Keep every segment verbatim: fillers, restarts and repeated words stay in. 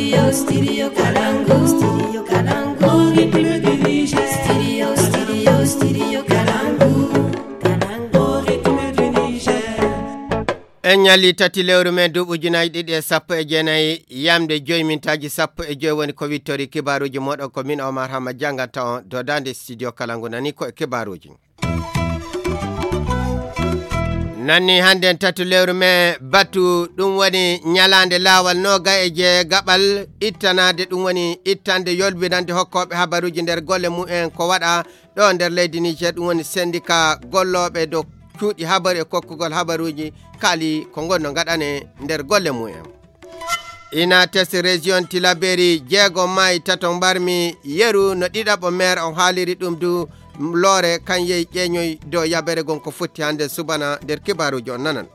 Studio Kalangu, Studio Kalangu, République du Niger. Studio, Studio, Studio Kalangu, Kalangu, République du Niger. En ñalli tati lewru men duuɓi ujunaaji ɗiɗi e sappo e jeenayi, yamde joyi mintaaji sappo e joyi woni ko wittori kibaaruuji mooɗon, ko min Omar Hama jannganta on dodaande studio kala ngu nani ko e kibaaruuji. Nanni hannde en tatu lewru men batu, ɗum woni ñalaande laawal nooga e jeegaɓal ittanaade, ɗum woni ittande yolbinande hokkooɓe habaruuji nder golle mumen ko waɗa ɗo nder leydi Niger, ɗum woni sendika gollooɓe dow cuuɗi habaru e kokkugol habaruuji kaali ko ngonno ngaɗane nder golle mumen. Inates région Tilaberi jeego maayi tato mbarmi yeru no ɗiɗaɓo maire on haaliri ɗum du loore kan yehi ƴeeñoy dow yabere gon ko fotti hannde subana nder kibaaruuji on nanan.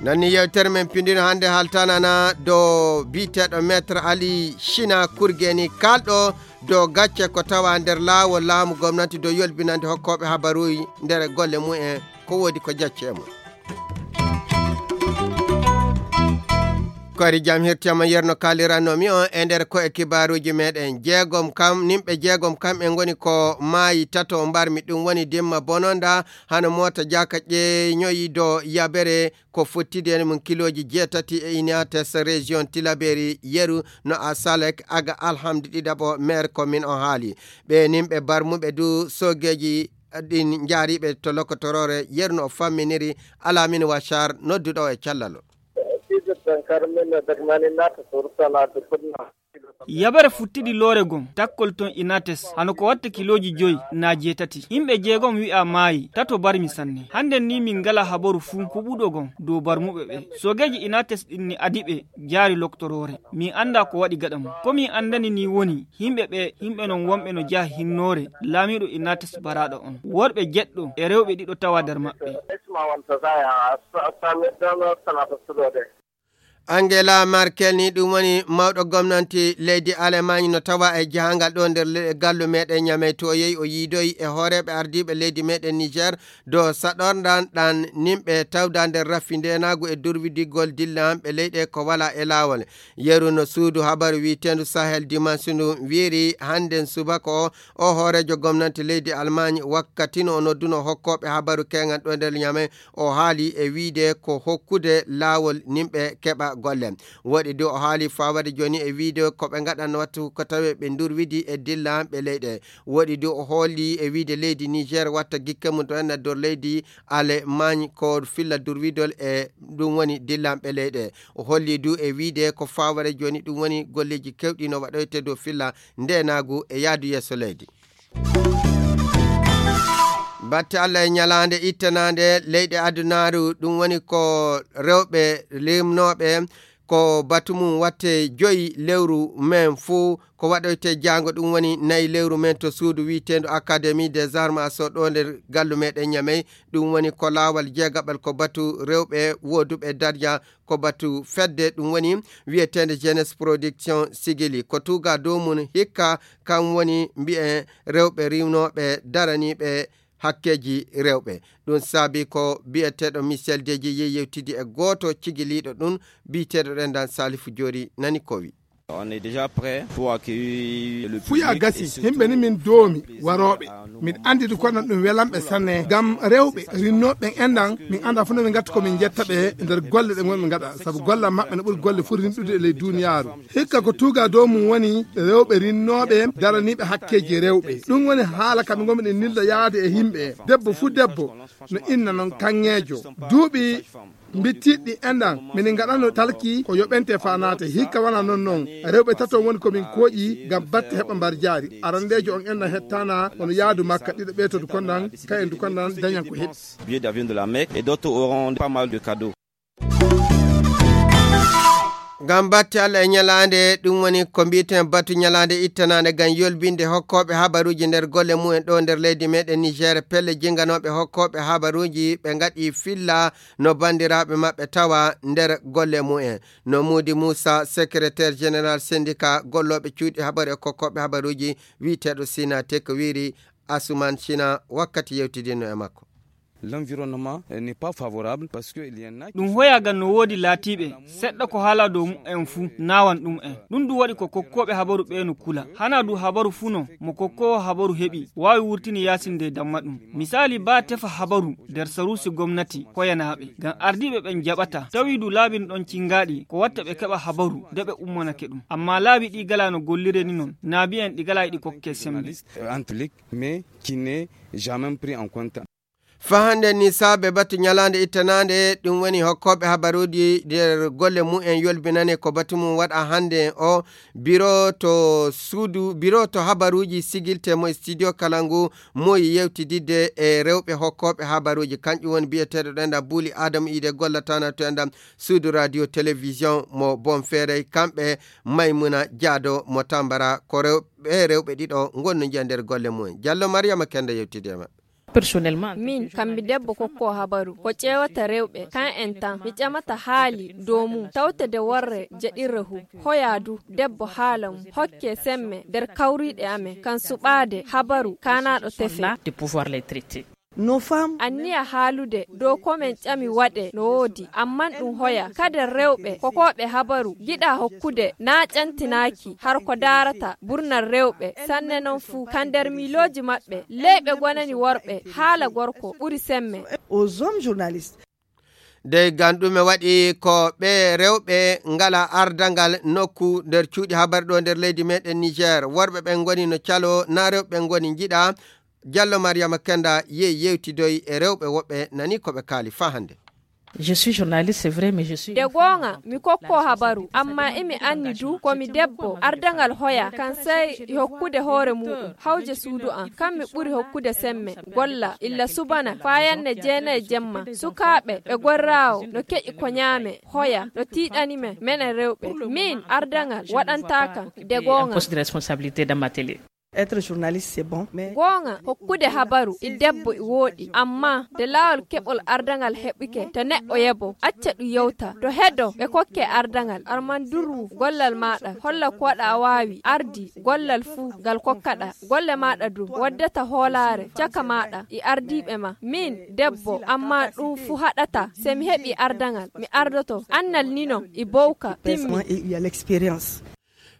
Nanni yewtere men pindino hannde haltanana dow biyeteeɗo maître Ali China Kurgeni kalɗo dow gacce ko tawa nder laawol laamu gomnati dow yolbinande hokkooɓe habaruuji nder golle mumen ko woodi ko jacce e mum. Koyri jam hirtiyama yerno kalirannomi on e nder ko e kibaaruuji meɗen jeegom kam nimɓe jeegom kam e ngoni ko maayi tato mbarmi ɗum woni dimma bononda hano moota jaka ƴeeñoyi do yabere ko fottidi en mum kilooji jeetati e inates région Tilaberi yeru no a salek aga alhamdi ɗiɗaɓo maire commune on haali ɓe nimɓe barmuɓe du sogeji ɗin jaariɓe to lokotoroore yeru no o famminiri alamin wachar nodduɗo e callalo. Yabere futtidi loore gon takkol ton inates hano ko watta kilooji joyi na jeetati yimɓe jeegom wi'a maayi tato barmi sanne hannden ni min ngala habaru fuu kuɓuɗo gon dow barmuɓe ɓe sogeeji inates ɗin ni adi ɓe jaari loktoroore min annda ko waɗi gaɗa mum ko min anndani ni woni yimɓe ɓe yimɓe non wonɓe no jaha hinnoore laamiiɗo inates baraaɗo on worɓe jeɗɗo e rewɓe ɗiɗo tawa nder maɓɓe. Angela Merkel ni ɗum woni mawɗo gomnanti leydi Alemagne no tawa e jahangal ɗo nder le- gallu meɗen ñamey to o yehi o yiidoyi e hooreɓe ardiɓe leydi meɗen Niger do saɗordan ɗan nimɓe tawda nder raffi ndenagu e durwidigol dillanɓe leyɗe ko wala e lawol. Yeru no suudu habaru wi'etendu Sahel Dimanche ndu wiiri hannden subaka o, o hoorejo gomnanti leydi Almagne wakkati no o nodduno hokkoɓe habaru keŋal ɗo nder ñamey o haali e wiide ko hokkude laawol nimɓe keɓa golle. Woɗi du o haali fawade joni e wiide ko ɓe ngaɗan wattu ko tawe ɓe durwidi e dillanɓe leyɗe. Woɗi du o holli e wiide leydi Niger watta gikke mum to en e dor leydi Alemagne ko filla durwidol e ɗum woni dillanɓe leyɗe. O holli du e wiide ko fawade joni ɗum woni golleji kewɗi no waɗoyte dow filla ndenagu e yaadu yeeso leydi. Batte Allah e ñalaande ittanaande leyɗe adunaaru ɗum woni ko rewɓe rimnooɓe ko batu mum watte joyi lewru men fuu ko waɗoyte jaango ɗum woni nayi lewru men to suudu wiiteendu Académie des Armes so ɗo nder gallu meɗen ñamey. Ɗum woni ko laawal jeegaɓal ko batu rewɓe wooduɓe darja ko batu fedde ɗum woni wiyeteende jeunesse production sigili ko tuuga dow mum hikka kam woni mbiyen rewɓe riwnooɓe daraniiɓe hakkeeji rewɓe. Ɗum saabi ko biyeteeɗo Michel Deji yehi yewtidi e gooto cigiliiɗo ɗum biyeteeɗo ɗendan Salifu Joori nani ko wi. Fuya gasi himɓe ni min doomi warooɓe min anndi ɗum kono ɗum welanɓe sanne ngam rewɓe rinnooɓe ɓen enɗan min annda fof no ɓe ngatta ko min jetta ɓe nder golle ɗe ngonɓe ngaɗa sabu golle maɓɓe no ɓuri golle fof rinɗude e ley duniyaaru. Hikka ko tuuga dow mum woni rewɓe rinnooɓe daraniiɓe hakkeeji rewɓe. Ɗum woni haala kam ngonmi ɗen nilda yaade e yimɓe debbo fuu debbo no inna noon kaŋŋeejo duuɓi mbittiɗɗi enɗan minin ngaɗano talki ko yoɓente faa naate hikka wona noon noon. Rewɓe tato woni ko min kooƴi ngam batte heɓa mbar jaari arandeejo on enɗan hettaana kono yaadu makka ɗiɗo ɓeetodu konɗan kayen du konɗan dañan ko heɓi. Billet d'avion de la Mecque et d'autres auront pas mal de cadeaux. Ngam batte Allah e ñalaande ɗum woni ko mbiyeten batu ñalaande ittanaande ngam yolbinde hokkooɓe habaruuji nder golle mumen ɗo nder leydi meɗen Niger pelle jinganooɓe hokkooɓe habaruuji ɓe ngaɗi filla no banndiraaɓe maɓɓe tawa nder golle mumen. No Muudi Muusa secrétaire général syndicat gollooɓe cuuɗi habaru e kokkooɓe habaruuji wiyeteeɗo Sina Tek wiiri Asuman Sina wakkati yewtidinno e makko. L'environnement n'est pas favorable parce que il y en a qui ɗum sont hoyaagal no woodi laatiiɓe seɗɗa ko haalaa dow mumen fuu naawan ɗum'en. Ɗum du waɗi ko kokkooɓe habaru ɓee no kula. Hanaa du habaru fuu no mo kokkoowo habaru heɓi waawi wurtini yaasin de damma ɗum. Misaali baa tefa habaru nder saruusi gomnati hoyanaaɓe ngam ardiiɓe ɓen jaɓataa. Tawi du laabi no ɗon cingaaɗi ko watta ɓe keɓa habaru de ɓe ummanake ɗum. Ammaa laabi ɗi galaa no gollire ni non. Naa bi'en ɗi galaa e ɗi kokkee semmbe. Entre les mais qui n'est jamais pris en compte. Faa hannde ni saabe batu ñalaande ittanaande, ɗum woni hokkooɓe habaruuji nder golle mumen yolbinane ko batu mum waɗa hannde o biro to suudu, biro to habaruuji sigilte mo studio kala ngu moyi yewtididde e rewɓe hokkooɓe habaruuji. Kanƴum woni biyeteeɗo ɗenɗam Buuli Aadama Iide gollatana to enɗam suudu radio télévision mo Bonferey, kamɓe Maymuna Jaado mo Tambara, ko rewɓe, rewɓe ɗiɗo ngonno njiya nder golle mumen. Jallo Mariama Kenda yewtidi e maɓɓe. Personnellement, min kam mi debbo kokko habaru ko ƴeewata rewɓe kan en tan mi ƴamata haali dow mum tawtede worre jeɗirre hu hoya du debbo haala mum hokke semme nder kawriiɗe amen kan suɓaade habaru kaanaaɗo tefe. De pouvoir les traiter. Nos femmes. Anniya haalude dow ko men ƴami waɗe no woodi amman ɗum hoya kade rewɓe kokooɓe habaru giɗa hokkude na ƴantinaaki har ko daarata burnal rewɓe sanne non fuu ka nder miilooji maɓɓe leyɓe gonani worɓe haala gorko ɓuri semme. Aux hommes journalistes. Dey gam ɗume waɗi ko ɓe rewɓe ngala ardangal nokku nder cuuɗi habar ɗo nder leydi meɗen Niger worɓe ɓen ngoni no calo na rewɓe ɓen ngoni njiɗa. Jallo Mariama Kenda yehi yewtidoyi e rewɓe woɓɓe nani ko ɓe kaali faa hannde. Je suis journaliste, c'est vrai, mais je suis de goonga mi kokko habaru amma imi anni du ko mi debbo ardangal hoya kan sey hokkude hoore muɗum hawje suudu am kam mi ɓuri hokkude semme golla illa subana faa yanne jeenayi jemma sukaaɓe ɓe gorraawo no keƴi ko ñaame hoya no tiiɗani men menen rewɓe min ardangal waɗantaakam de goonga. Poste de responsabilité dans ma télé. Être journaliste c'est bon mais goonga hokkude habaru e debbo e wooɗi amma de laawol keɓol ardangal heɓike to neɗɗo yebo acca ɗum yewta to hedo ɓe kokke ardangal arman durwu gollal maɗa holla ko waɗa a waawi ardi gollal fuu ngal kokkaɗa golle maɗa du waddata hoolaare caka maɗa e ardiiɓe ma min debbo amma ɗum fuu haɗata se mi heɓi ardangal mi ardoto annal nino e bowka timmi. L'expérience.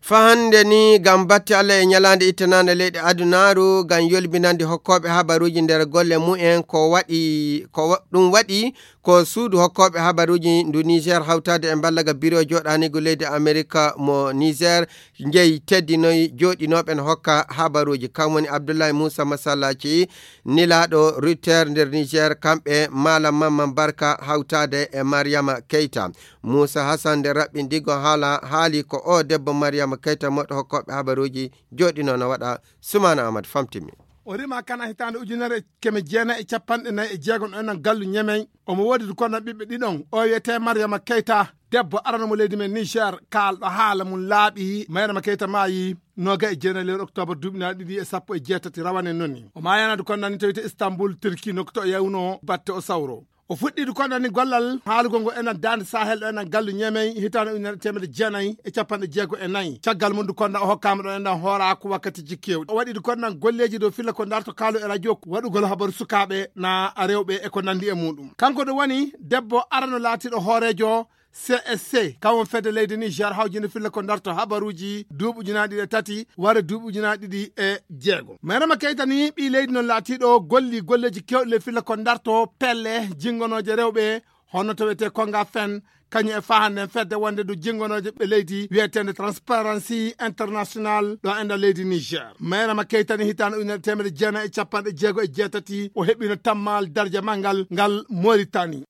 Fa hannde ni gam batte Allah e ñalaande ittanaande leyɗe adunaaru gam yolbinande hokkooɓe habaruuji nder golle mumen ko waɗi ko wa- ɗum waɗi ko suudu hokkooɓe habaruuji ndu Niger hawtaade e mballaga biro jooɗaanigu leydi Amerika mo Niger njeyi teddinoyi jooɗinooɓe no hokka habaruuji kam woni Abdullahi Moussa Masallaci nilaaɗo Rutter nder Niger kamɓe Malam Mamman Barka hawtaade e Mariama Keita. Moussa Hassan nde raɓɓindigo haala haali ko o debbo Mariama Keita moɗo hokkooɓe habaruuji jooɗinoo no waɗa Sumaana Ahmad famtimi. O rima kana hitaande ujunere e keme jeenayi e capanɗe nayi e jeegom ɗo enɗan gallu Ñemey. Omo woodi du kono ɓiɓɓe ɗiɗon. O wiyetee Mariama Keita, debbo arano mo leydi men Niger, kaalɗo haala mum laaɓi. Mariama Keita maayi nooga e jeenayi lewru oktoobar duuɓi naa ɗiɗi e sappo e jeetati rawane noni. O maayana du kono nani tawite Istanbul, Turki, nokku to o yawnoo batte o sawro. O fuɗɗii du kono nani gollal haalugol ngo enɗan daande Sahel ɗo enɗan gallu Ñemey hitaande ujunere e teemedde jeenayi e capanɗe jeego e nayi. Caggal mum du kono o hokkaama ɗo enɗan hooraaku wakkatiiji keewɗi. O waɗii du kono nan golleeji dow filla ko darto kaalu e radio waɗugol habaru sukaaɓe naa rewɓe e ko nanndi e muuɗum. Kanko du woni debbo arano laatiiɗo hooreejo C S C, kam won fedde leydi Niger hawjinde filla ko darto habaruuji duuɓi ujunaaji ɗiɗi e tati wara duuɓi ujunaaji ɗiɗi e jeego. Mariama Keita ni ɓii leydi non laatiiɗo golli golleeji keewɗi ley filla ko darto pelle jinngonooje rewɓe hono to wiyetee Konga Fen, kañum e fa hannde fedde wonde du jinngonooje ɓe leydi wiyeteende Transparency International ɗo enɗan leydi Niger. Mariama Keita ni hitaande ujunere e teemedde jeenayi e capanɗe jeego e jeetati o heɓino tammaal darja manngal ngal Mauritanie.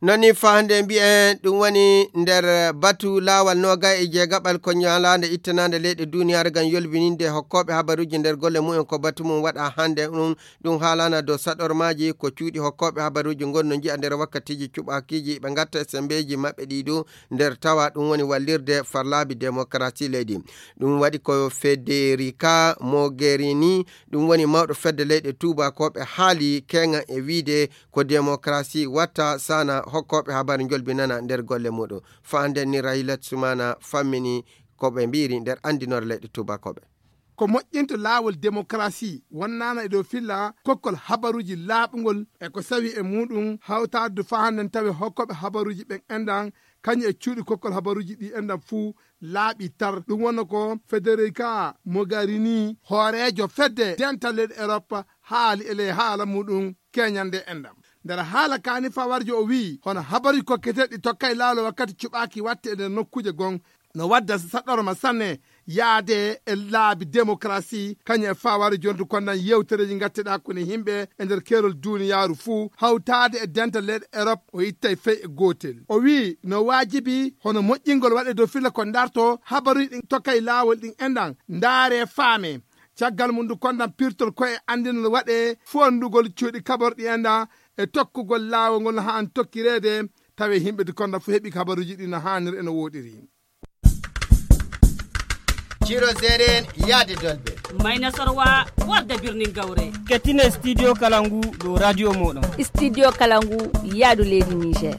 Non ni fa hannde mbiyen ɗum woni nder batu laawal noogay e jeegaɓal ko ñalaande ittanaande leyɗe duuniyaaru ngam yolbininde hokkooɓe habaruuji nder golle mumen ko batu mum waɗa hannde ɗum ɗum haalana dow saɗormaaji ko cuuɗi hokkooɓe habaruuji ngonno njiya nder wakkatiiji cuɓaakiiji ɓe ngatta e semmbeeji maɓɓe ɗi dow nder tawa ɗum woni wallirde farlaabi demokarasi leydi. Ɗum waɗi ko Federica Mogherini ɗum woni mawɗo fedde leyɗe tuubakooɓe haali keeŋa e wiide ko demokarasi watta sana hokkooɓe habaru njolbinana nder golle muɗum. Faanden ni Rahilat Sumana fammini ko ɓe mbiiri nder anndinoore leyɗe tuubakooɓe. ko moƴƴinto laawol demokarasi, wonnaana e dow filla kokkol habaruuji laaɓungol e ko sawi e muuɗum hawtaade faa hannden tawi hokkooɓe habaruuji ɓen enɗan kañum e cuuɗi kokkol habaruuji ɗi enɗan fuu laaɓi tar. Ɗum wonno ko Federica Mogherini, hooreejo fedde dental leyɗe Erop, haali e ley haala muuɗum keñande enɗan. Nder haala kaani fawarjo o wi'i, hono habaruuji kokketeeɗi tokkay laawol wakkati cuɓaaki watte e nder nokkuuje gon, no wadda saɗɗorma sanne yaade e laabi demokarasi, kañum e fawarjo jontu kondan yewtereeji ngatteɗaa hakkunde yimɓe e nder keerol duuniyaaru fuu, hawtaade e dental leyɗe Erop, o ittay fey e gootel. O wi'i, no waajibi hono moƴƴingol waɗe dow filla ko ndarto habaruuji ɗin tokkay laawol ɗin enɗan, ndaare faame. Caggal mum ndu kondan pirtol koye anndinol waɗe fondugol cuuɗi kaborɗi enɗan e tokkugol laawol ngol no haa an tokkireede, tawe yimɓe di kondan fof heɓi kabaruuji ɗi no haaniri e no wooɗiri. Ciro Zeren yaade dolbe. Mayna Sorwa warde birnin gawre. Kettine Studio Kalangu dow radio moɗon. Studio Kalangu yaadu leydi Niger.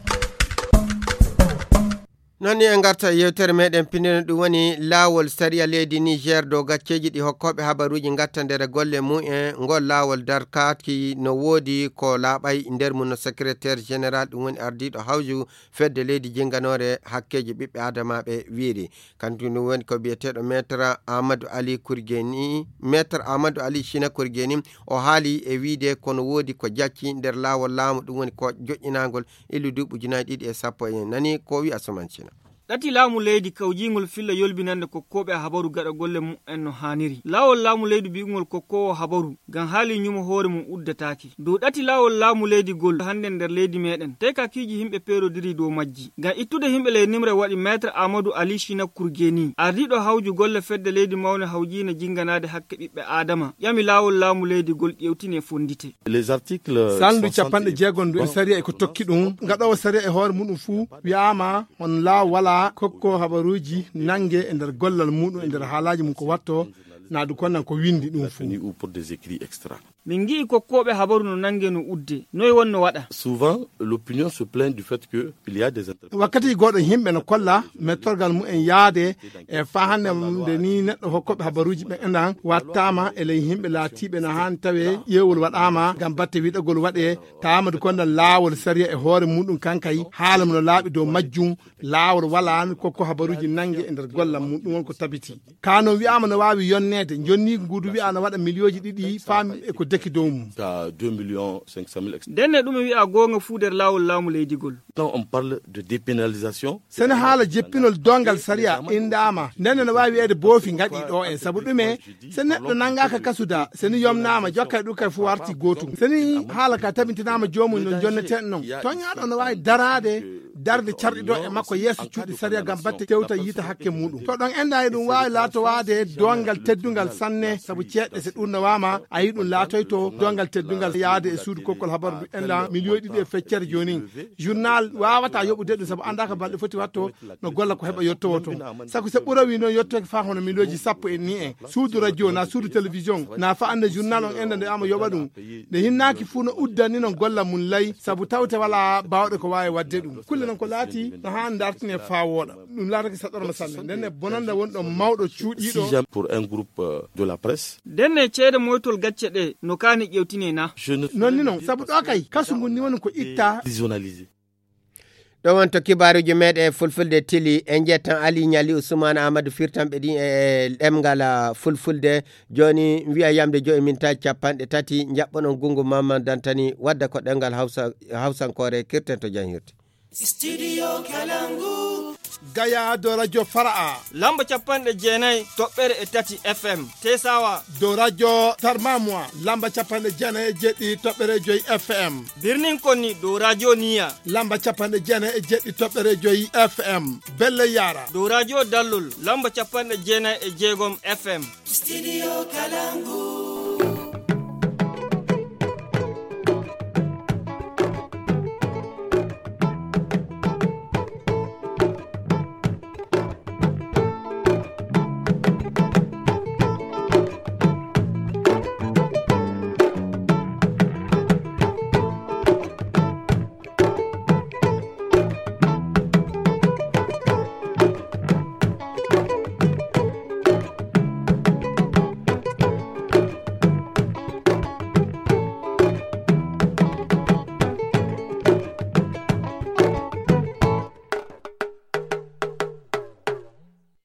Non ni en ngarta e yewtere meɗen pinndino ɗum woni laawol sariya leydi Niger dow gacceeji ɗi hokkooɓe habaruuji ngatta nder golle mumen. Ngol laawol darkaaki no woodi ko laaɓay nder mum no secrétaire général ɗum woni ardiiɗo hawju fedde leydi jinnganoore hakkeeji ɓiɓɓe aadamaaɓe wiiri. Kanko ɗum woni ko biyeteeɗo Maître Amadou Ali Kurgeni, Maître Amadou Ali China Kurgeni, o haali e wiide kono woodi ko jacci nder laawol laamu ɗum woni ko joƴƴinaangol illu duuɓi ujunaaji ɗiɗi e sappo e nani ko wi'a Suman China. Ɗati laamu leydi kawjiingol filla yolbinande kokkooɓe habaru gaɗa golle mumen no haaniri. Laawol laamu leydi bi'ugol kokkoowo habaru ngam haali ñumo hoore mum uddataake. Dow ɗati laawol laamu leydi gol hannde nder leydi meɗen, tekakiiji yimɓe peerodiri dow majji. Ngam ittude yimɓe ley nimre waɗi Maître Amadou Ali China Kurgeni, ardiiɗo hawju golle fedde leydi mawne hawjiina jinnganaade hakke ɓiɓɓe Aadama, ƴami laawol laamu leydi gol ƴeewtine fonndite. Les articles Salndu soixante capanɗe jeegom ndu e sariya e ko tokki ɗum, gaɗoowo sariya e hoore muɗum fuu wi'aama on laaw walaa kokko habaruuji nannge e nder gollal muɗum, e nder haalaaji mum ko watto, naadu konnan ko winndi ɗum fuu. Ou pour des écrits extra. Min ngi'i kokkooɓe habaru no nannge no udde. Noy wonno waɗa? Souvent, l'opinion se plaint du fait que il y a des interprétations. Wakkati goɗɗo yimɓe no kolla mettorgal mumen yaade e faa hannde nde ni neɗɗo hokkooɓe habaruuji ɓen enɗan wattaama e ley yimɓe laatiiɓe no haani tawe ƴeewol waɗaama ngam batte wiɗagol waɗe, taamadu kondan laawol sariya e hoore muɗum kankay haala mo no laaɓi dow majjum, laawol walaa kokko habaruuji nannge e nder gollal mum, ɗum won ko tabiti. Ka noon wi'aama no waawi yonneede, jonni nguudu wi'aa no waɗa miliyooji ɗiɗi faami e ko deki dow mum. Ka deux millions cinq cent mille ex- Ndenne ɗum wi'aa goonga fuu nder laawol laamu leydigol. Quand on parle de dépénalisation, sene haala jeppinol doongal sariya inndaama, ndenne no waawi wi'eede boofi ngaɗi ɗo en. Sabu ɗume? Se neɗɗo nanngaaka kasuda, se ni yomnaama, jokkay ɗum kay fuu warti gootum. Se ni haala ka tabintinaama joomum no jonneten non. Toñaaɗo no waawi daraade darde carɗi ɗo e makko yeeso cuuɗi sariya ngam batte tewta yiita hakke muɗum. To ɗon enɗa e ɗum waawi laatowaade doongal teddungal sanne, sabu ceeɗɗe se ɗum nawaama, a yi ɗum laatoyto doongal teddungal yaade e suudu kokkol habaru ndu enɗa miliyoyi ɗiɗi e feccere jooni. Journal waawata yoɓude ɗum sabu anndaaka balɗe foti watto no golla ko heɓa yottowo toon. Saku se ɓura wi noon yottoke faa hono miliyooji sappo en ni en. Suudu radio na suudu télévision na fa annde journal on enɗa nde ama yoɓa ɗum. Nde hinnaaki fuu no uddani non golla mum lay, sabu tawte walaa baawɗe ko waawi waɗde ɗum. Kulle non ko laati no haa ndartine faa wooɗa. Ɗum laatake saɗorma sanne. Nden e bonannda wonɗo mawɗo cuuɗiiɗo. Pour un groupe, euh, de la presse. Nden e ceede moytol gacce ɗe no kaani ƴewtine na. Je ne Non ni non, sabu ɗo kay, kasu ngun ni woni ko itta. Dépersonnalisé. Ɗo won to kibaaruuji meeɗen e fulfulde tili, en njettan Ali Ñali Usmaan Aamadu firtanɓe ɗin e ɗemngal, ah, fulfulde. Jooni, wi'a yamde joyi mintaji capanɗe tati, njaɓɓonon Gungu Mamman Dantani, wadda ko ɗemngal Hawsa, Hawsankoore, kirten to janhirde. Studio Kalangu. Gaya dow radio Fara'a. Lamba capanɗe jeenayi toɓɓere e tati F M. Tesawa. Dow radio Tarmamwa. Lamba capanɗe jeenayi e jeɗɗi toɓɓere joyi F M. Birnin Konni dow radio Niya. Lamba capanɗe jeenayi e jeɗɗi toɓɓere joyi F M. Belle Yara. Dow radio Dallol. Lamba capanɗe jeenayi e jeegom F M. Studio Kalangu.